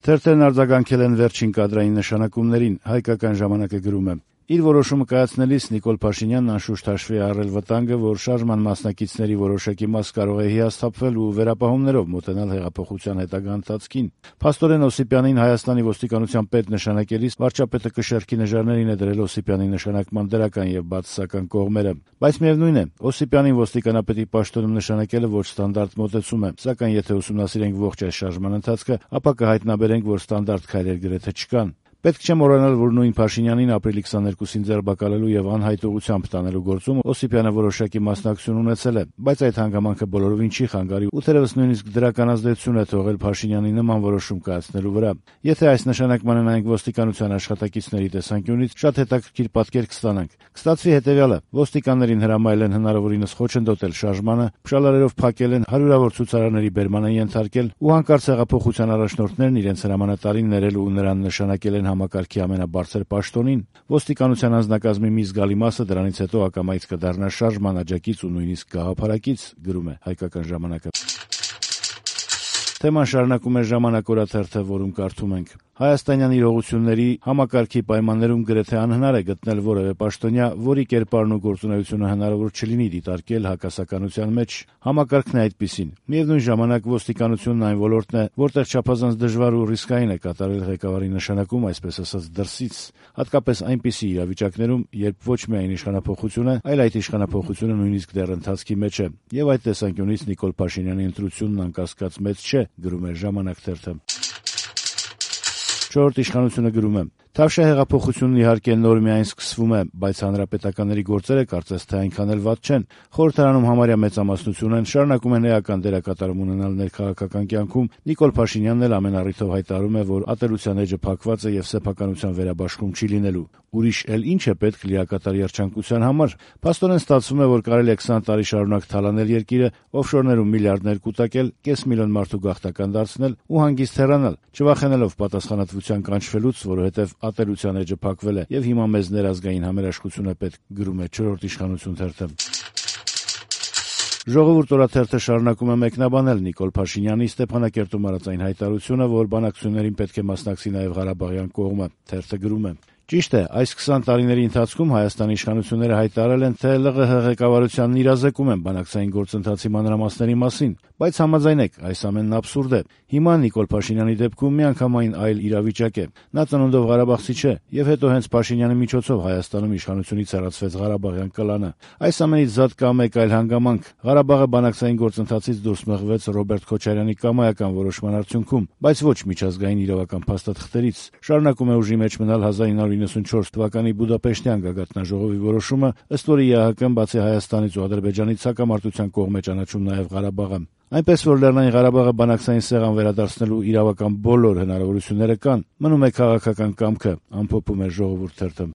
Թերթերն արձագանքել են վերջին կադրային նշանակումներին, Հայկական ժամանակը գրում է. Իր որոշումը կայացնելիս Նիկոլ Փաշինյանն անշուշտ հաշվի է առել վտանգը, որ շարժման մասնակիցների որոշակի մաս կարող է հիասթափվել ու վերապահումներով մոտենալ հեղափոխության հետագա ընթացքին։ Փաստորեն Օսիպյանին Հայաստանի ոստիկանության պետ նշանակելիս վարչապետը կշեռքի նժարներին է դրել Օսիպյանի նշանակման դրական եւ բացասական կողմերը։ Բայց միևնույն է, Օսիպյանին ոստիկանապետի պաշտոնում նշանակելը ոչ ստանդարտ մոտեցում է, սակայն եթե ուսումնասիրենք ողջ այս շարժման ընթացքը, ապա կհայտնաբերենք, որ ստանդարտ քայլեր գրեթե չկան։ Պետք չէ մոռանալ, որ նույն Փաշինյանին ապրիլի 22-ին ձերբակալելու եւ անհայտողությամբ տանելու գործում Օսիպյանը որոշակի մասնակցություն ունեցել է, բայց այդ հանգամանքը բոլորովին չի խանգարի ու թերևս նույնիսկ դրական ազդեցություն է թողել Փաշինյանի նման որոշում կայացնելու վրա։ Եթե այս նշանակմանը նայենք ոստիկանության աշխատակիցների տեսանկյունից, շատ հետաքրքիր պատկեր կստանանք։ Կստացվի հետեւյալը. ոստիկաններին հրամայել են հնարավորինս խոչընդոտել շարժմանը, փշալարերով փակել են, հարյուրավոր ցուցարարների բերման են ենթարկել ու հանկարծ հեղափոխության առաջնորդներն իրենց հրամանատարին ներել ու նրան նշանակել են համակարգի ամենաբարձր պաշտոնին։ Ոստիկանության անձնակազմի մի զգալի մասը դրանից հետո ակամայից կդառնա շարժման աջակից ու նույնիսկ գաղափարակից, գրում է Հայկական ժամանակը։ Թեման շարունակում է Ժամանակ օրաթերթը, որում կարդում ենք. Հայաստանյան իրողությունների համակարգի պայմաններում գրեթե անհնար է գտնել որևէ պաշտոնյա, որի կերպարն ու գործունեությունը հնարավոր չլինի դիտարկել հակասականության մեջ։ Համակարգն է այդպիսին։ Միևնույն ժամանակ ոստիկանությունն այն ոլորտն է, որտեղ չափազանց դժվար ու ռիսկային է կատարել ղեկավարի նշանակում, այսպես ասած, դրսից, հատկապես այնպիսի իրավիճակներում, երբ ոչ միայն իշխանափոխությունը, այլ այդ իշխանափոխությունը նույնիսկ դեռ ընթացքի մեջ է։ Եվ այդ տեսանկյունից Նիկոլ Փաշինյանի ընտրությունն անկասկած մեծ չէ, գրում է Ժամանակ թերթը։ Չորրորդ իշխանությունը գրում է. Թավշյա հեղափոխությունն իհարկե նոր միայն սկսվում է, բայց հանրապետականների գործերը կարծես թե այնքան էլ վատ չեն։ Խորհրդարանում համարյա մեծամասնություն են, շարունակում են էական դերակատարում ունենալ ներքաղաքական կյանքում։ Նիկոլ Փաշինյանն էլ ամեն առիթով հայտարարում է, որ ատելության էջը փակված է եւ սեփականության վերաբաշխում չի լինելու։ Ուրիշ էլ ինչ է պետք լիակատար երջանկության համար։ Փաստորեն ստացվում է, որ կարելի է 20 տարի շարունակ թալանել երկիրը, օֆշորներում միլիարդներ կուտակել, կես միլիոն մարդու գաղթական դարձնել ու հանգիստ հեռանալ, չվախենալով պատասխանատվության կանչվելուց, որովհետեւ ատելության էջը փակվել է եւ հիմա մեզ ներազգային համերաշխություն է պետք, գրում է Չորրորդ իշխանություն թերթը։ Ժողովուրդ օրաթերթը շարունակում է մեկնաբանել Նիկոլ Փաշինյանի Ստեփանակերտում արած այն հայտարարությունը, որ բանակցություններին պետք է մասնակցի նաեւ Ղարաբաղյան կողմը։ Թերթը գրում է. Ճիշտ է, այս 20 տարիների ընթացքում Հայաստանի իշխանությունները հայտարարել են, թե ԼՂՀ ղեկավարությանն իրազեկում են բանակցային գործընթացի մանրամասների մասին, բայց համաձայնեք, այս ամենն աբսուրդ է։ Հիմա Նիկոլ Փաշինյանի դեպքում միանգամայն այլ իրավիճակ է։ Նա ծնունդով ղարաբաղցի չէ, եւ հետո հենց Փաշինյանի միջոցով Հայաստանում իշխանությունից հեռացվեց Ղարաբաղյան կլանը։ Այս ամենից զատ կա մեկ այլ հանգամանք. Ղարաբաղը բանակցային գործընթացից դուրս մղվեց Ռոբերտ Քոչարյանի կամայական որոշման արդյունքում, բայց ոչ միջազգային իրավական փաստաթղթերից։ Շարունակում է ուժի մեջ մնալ 1994 թվականի Բուդապեշտյան գագաթնաժողովի որոշումը, ըստ որի ԵԱՀԿ-ն բացի Հայաստանից ու Ադրբեջանից հակամարտության կողմ է ճանաչում նաև Ղարաբաղը։ Այնպես որ Լեռնային Ղարաբաղը բանակցային սեղան վերադարձնելու իրավական բոլոր հնարավորությունները կան, մնում է քաղաքական կամքը, ամփոփում է Ժողովուրդ թերթը։